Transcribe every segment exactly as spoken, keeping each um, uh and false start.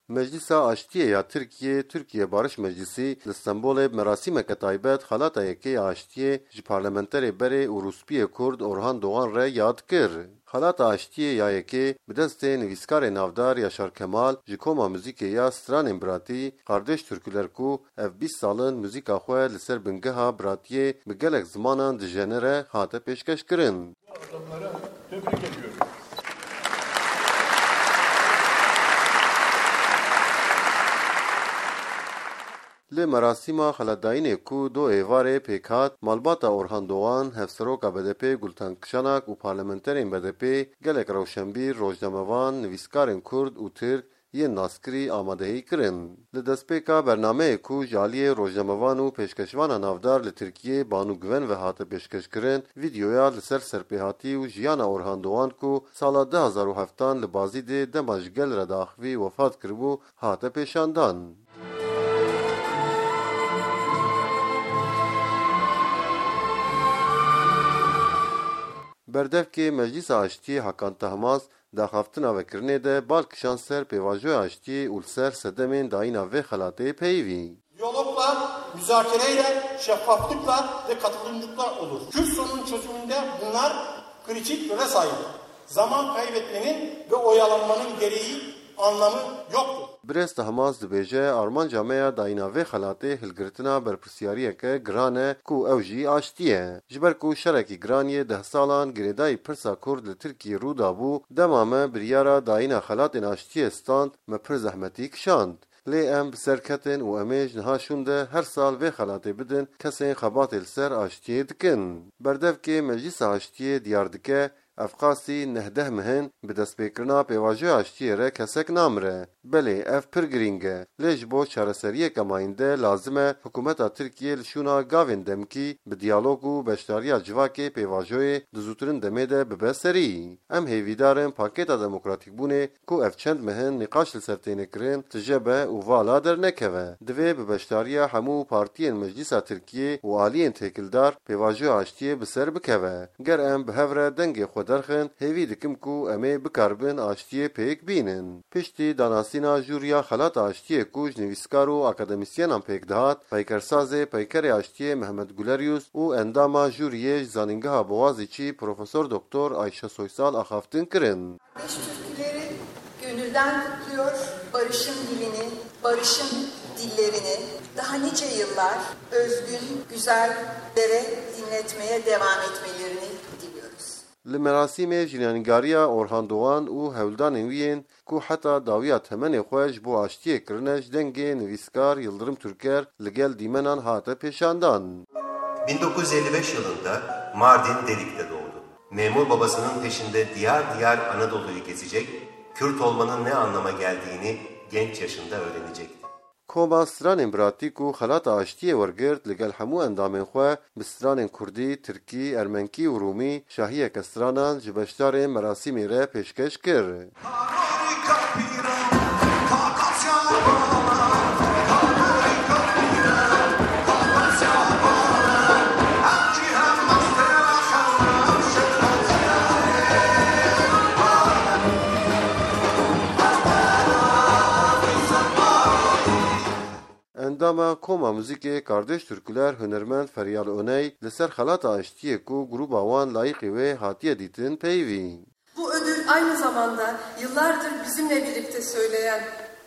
Meclisa Aştiyê ya Tirkiyê, Türkiye Barış Meclisi, li Stenbolê bi merasîmeke taybet xelata yekê ya aştiyê ji parlamenterê berê û rûspiyê Kurd Orhan Doğan re yad kir. Xelata aştiyê ya yekê bi destê nivîskarê navdar Yaşar Kemal ji koma muzîkê ya Stranên Biratî, Kardeş Türküler ku ev bîst sal in muzîka xwe li ser bingeha biratiyê bi gelek zimanan dijenere hate pêşkeşkirin. Adamlara tebrik ediyorum. Li merasîma xelatdayînê ku do êvarê pêk hat, malbata Orhan Doğan, hevseroka B D P Gultan Kişanak û parlamenterên B D P gelek rewşenbîr, rojnamevan, nivîskarên Kurd û Tirk yên naskirî amadehî kirin. Li destpêka bernameyê ku ji aliyê rojnamevan û pêşkeşvana navdar li Tirkiyê Banu Güven ve hate pêşkeşkirin, vîdeoya li ser serpêhatî û jiyana Orhan Doğan ku sala du hazar û heft an li Bazîdê dema ji gel re diaxivî wefat kiribû, hate pêşandan. Berdevkê Meclisa Aştiyê Hakan Tahmaz di axaftina vekirinê de bal kişand ser pêvajoya aştiyê û li ser sedemên dayîna vê xelatê peyivî. Diyalogla, müzakereyle, şeffaflıkla ve katılımcılıkla olur. Kürt sorunun çözümünde bunlar kritik role sahip. Zaman kaybetmenin ve oyalanmanın gereği, anlamı yoktur. Birêz Tahmaz dibêje, armanca me ya dayîna vê xelatê hilgirtina berpirsyariyeke giran e ku ew jî aştî ye. Ji ber ku şerekî giran yê deh salan girêdayî pirsa Kurd li Tirkiyê rû dabû, dema me biryara dayîna xelatên aştiyê stand, me pir zehmetî kişand. Lê em bi ser ketin û em ê ji niha şûn de her sal vê xelatê bidin kesên xebatê li ser aştiyê dikin. Berdevkê Meclisa Aştiyê diyar dike, ev qasî neh deh meh in bi destpêkirina pêvajoya aştiyê re kesek namire. Belê, ev pir girîng e. Lê ji bo çareseriyeke mayînde lazim e hikûmeta Tirkiyê li şûna gavên demkî bi diyalog û beşdariya civakê pêvajoyê di zûtirin demê de bibe serî. Em hêvîdar in pakêta demokratîkbûnê ku ev çend meh in nîqaş li ser têne kirin, tije be û vala dernekeve. Divê bi beşdariya hemû partiyên Meclîsa Tirkiyê û aliyên têkildar pêvajoya aştiyê bi ser bikeve. Ger em bi hev re dengê xwe derxin, hêvî dikim ku em ê bikaribin aştiyê pêk bînin. Piştî danasîna jûriya Xelata Aştiyê ku ji nivîskar û akademîsyenan pêk dihat, peykersazê Peykerê Aştiyê Mehmet Guleryus û endama jûriyê ji Zanîngeha Boğaziçi Profesor Doktor Ayşe Soysal axaftin kirin. Kardeş türküleri gönülden kutluyor. Barışın dilini, barışın dillerini daha nice yıllar özgün, güzellere dinletmeye devam etmelerini diliyoruz. Li merasîmê jînanîgariya Orhan Doğan û hewldanên wî yên ku heta dawiya temenê xwe ji bo aştiyê kirine ji dengê nivîskar Yıldırım Türker li gel dîmenan hate pêşandan. bin dokuz yüz elli beş yılında Mardin Delik'te doğdu. Memur babasının peşinde diyar diyar Anadolu'yu gezecek, Kürt olmanın ne anlama geldiğini genç yaşında öğrenecekti. Koma Stranên Biratî ku Xelata Aştiyê wergirt li gel hemû endamên xwe bi stranên kurdî, tirkî, ermenkî û rûmî şahiyeke stranan ji beşdarên merasîmê re pêşkeş kir. Endama Koma Muzîkê Kardeş Türküler hunermend Feryal Oney li ser xelata aştiyê ku grûba wan layîqî wê hatiye dîtin peyivî. Bu ödül aynı zamanda yıllardır bizimle birlikte söyleyen,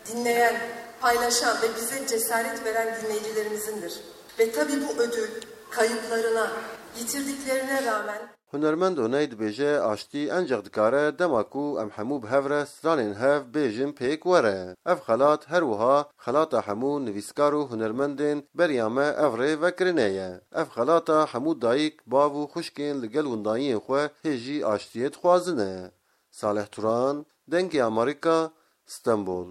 dinleyen, paylaşan ve bize cesaret veren dinleyicilerimizindir. Ve tabii bu ödül kayıplarına, yitirdiklerine rağmen Hunermend Oney dibêje, aştî enceq dikare dema ku em hemû bi hev re stranên hev bêjin pêk were. Ev xelat her wiha xelata hemû nivîskar û hunermendên beriya me ev rê vekirine ye. Ev xelata hemû dayik, bav û xwişkên li gel windayiyên xwe hê jî aştiyê dixwazin e. Salih Turan, Dengê Amerîka, Stenbol.